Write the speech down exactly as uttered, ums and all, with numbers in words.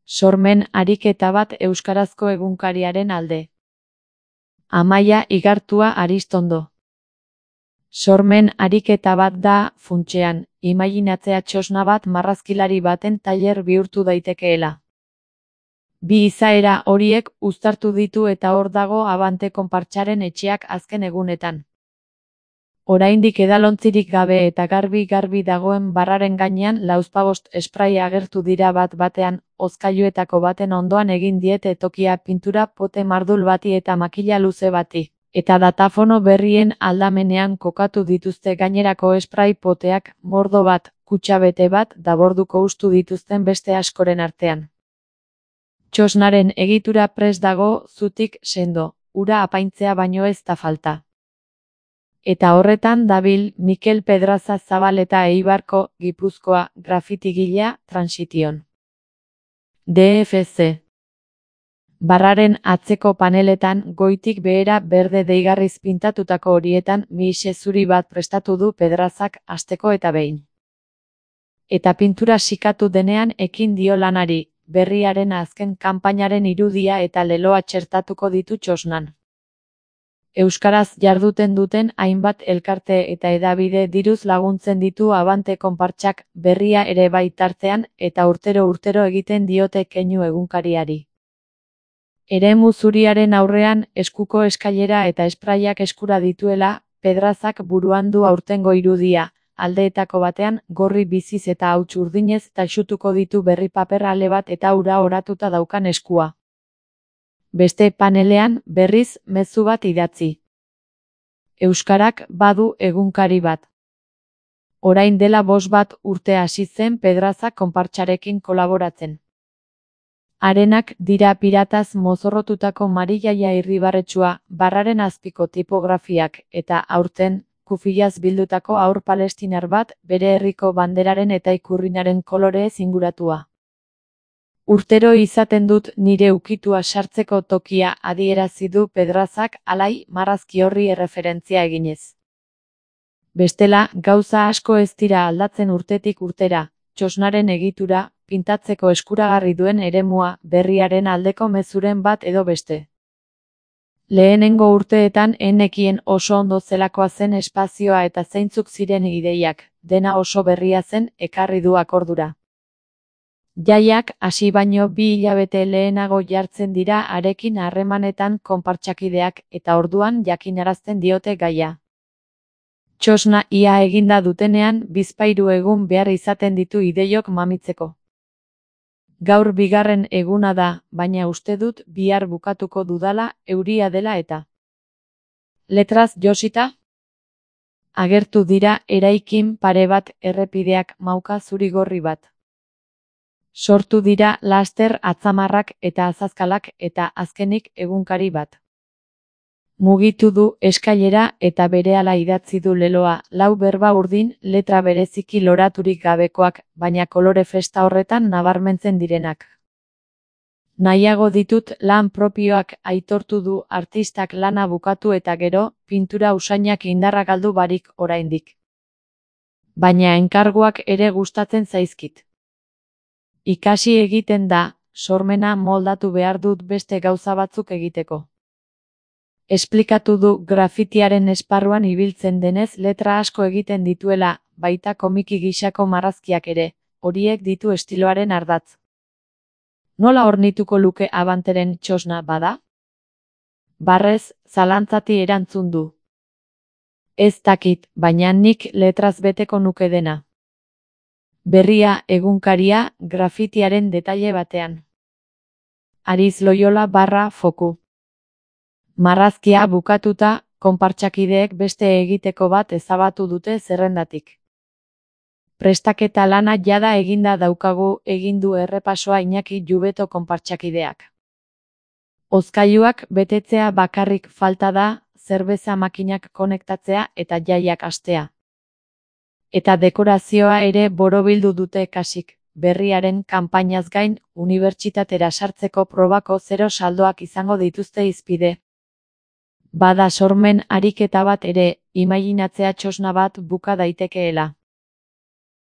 Sormen ariketa bat euskarazko egunkariaren alde. Amaia Igartua Aristondo. Sormen ariketa bat da, funtsean, imaginatzea txosna bat marrazkilari baten tailer bihurtu daitekeela. Bi izaera horiek uztartu ditu eta hor dago Abante konpartsaren etxeak azken egunetan. Oraindik edalontzirik gabe eta garbi-garbi dagoen barraren gainean lauzpabost esprai agertu dira bat batean, hozkailuetako baten ondoan egin diete tokia pintura pote mardul bati eta makila luze bati, eta datafono berrien aldamenean kokatu dituzte gainerako esprai poteak, mordo bat, kutxabete bat da borduko ustu dituzten beste askoren artean. Txosnaren egitura prest dago, zutik sendo, ura apaintzea baino ez da falta. Eta horretan dabil Mikel Pedraza Zabaleta Eibarko, Gipuzkoa, grafitigilea, Transition. D F C. Barraren atzeko paneletan goitik behera berde deigarriz pintatutako horietan mixe zuri bat prestatu du Pedrazak hasteko eta behin. Eta pintura sikatu denean ekin dio lanari, berriaren azken kanpainaren irudia eta leloa txertatuko ditu txosnan. Euskaraz jarduten duten hainbat elkarte eta hedabide diruz laguntzen ditu Abante konpartsak berria ere bai tartean eta urtero-urtero egiten diote keinu egunkariari. Eremu zuriaren aurrean eskuko eskailera eta espraiak eskura dituela, Pedrazak buruan du aurtengo irudia, aldeetako batean gorri biziz eta hauts urdinez taxutuko ditu berri paper ale bat eta ura oratuta daukan eskua. Beste panelean, berriz, mezu bat idatzi. Euskarak badu egunkari bat. Orain dela bost bat urte hasi zen Pedrazak konpartsarekin kolaboratzen. Harenak dira pirataz mozorrotutako marilaia irribarretsua, barraren azpiko tipografiak, eta aurten, kufilaz bildutako haur palestinar bat, bere herriko banderaren eta ikurrinaren kolorez inguratua. Urtero izaten dut nire ukitua sartzeko tokia adierazi du Pedrazak alai marrazki horri erreferentzia eginez. Bestela, gauza asko ez dira aldatzen urtetik urtera, txosnaren egitura, pintatzeko eskuragarri duen eremua, berriaren aldeko mezuren bat edo beste. Lehenengo urteetan enekien oso ondo zelakoa zen espazioa eta zeintzuk ziren ideiak, dena oso berria zen ekarri du akordura. Jaiak hasi baino bi hilabete lehenago jartzen dira harekin harremanetan konpartsakideak eta orduan jakinarazten diote gaia. Txosna ia eginda dutenean bizpahiru egun behar izaten ditu ideiok mamitzeko. Gaur bigarren eguna da, baina uste dut bihar bukatuko dudala euria dela eta. Letraz josita? Agertu dira eraikin pare bat errepideak mauka zurigorri bat. Sortu dira laster atzamarrak eta azazkalak eta azkenik egunkari bat. Mugitu du eskailera eta berehala idatzi du leloa, lau berba urdin, letra bereziki loraturik gabekoak, baina kolore festa horretan nabarmentzen direnak. Nahiago ditut lan propioak aitortu du artistak lana bukatu eta gero, pintura usainak indarra galdu barik oraindik. Baina enkarguak ere gustatzen zaizkit. Ikasi egiten da, sormena moldatu behar dut beste gauza batzuk egiteko. Esplikatu du grafitiaren esparruan ibiltzen denez letra asko egiten dituela, baita komiki gisako marrazkiak ere, horiek ditu estiloaren ardatz. Nola ornituko luke Abanteren txosna bada? Barrez, zalantzati erantzun du. Ez dakit, baina nik letraz beteko nuke dena. Berria egunkaria grafitiaren detaile batean. Ariz Loyola barra foku. Marrazkia bukatuta, konpartsakideek beste egiteko bat ezabatu dute zerrendatik. Prestaketa lana jada eginda daukagu egin du errepasoa Iñaki Jubeto konpartsakideak. Hozkailuak betetzea bakarrik falta da, zerbeza makinak konektatzea eta jaiak hastea. Eta dekorazioa ere borobildu dute kasik, berriaren kanpainaz gain, unibertsitatera sartzeko probako zero saldoak izango dituzte hizpide. Bada sormen ariketa bat ere, imaginatzea txosna bat buka daitekeela.